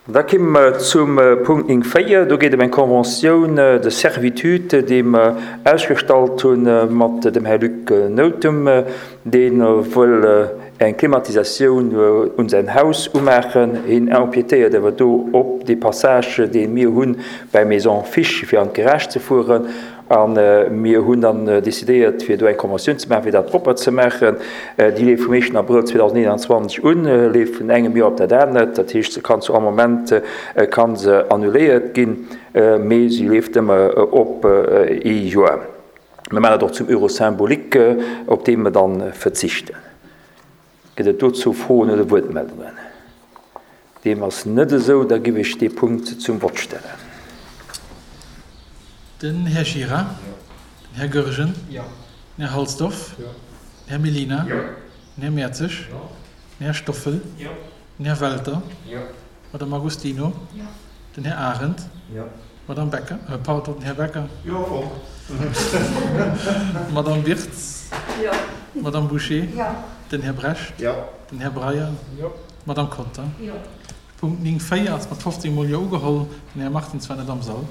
Da kéime mer zum Punkt 9, 4. Do geet et ëm eng Conventioun de servitude, déi mer ausgestallt hu mat dem Här Luc Nothum, dee wëll eng Klimatisatioun un säin Haus umaachen. Hien empiétéiert awer do op dee Passage, dee mir hu bäi Maison Fisch, fir an d'Garage ze fueren. A mir hunn dann decidéiert, fir do eng Conventioun ze maachen, fir dat propper ze maachen. Déi leeft vum éischten Abrëll 2021 un, leeft vun engem Joer op dat anert. Dat heescht, se kann zu all Moment ka se annuléiert ginn, mee se leeft ëmmer op ee Joer. Mir maachen dat och zum Euro symbolique, op dee mer dann verzichten. Gëtt et dozou Froen oder Wuertmeldungen? Deem ass net esou, da giff ech dee Punkt zum Vott stellen. Den Här Gira. Den Här Goergen. Den Här Halsdorf. Den Här Mellina. Den Här Mertzig. Den Här Stoffel. Den Här Welter. D'Madame Agostino. Den Här Arendt. D'Madame Becker, pardon, den Här Becker. D'Madame Wirtz. D'Madame Bouché. Den Här Brecht. Den Här Breyer. D'Madame Conter. Punkt 9, 4 ass mat 15 mol Jo ugeholl. Den Här Martins war net am Sall.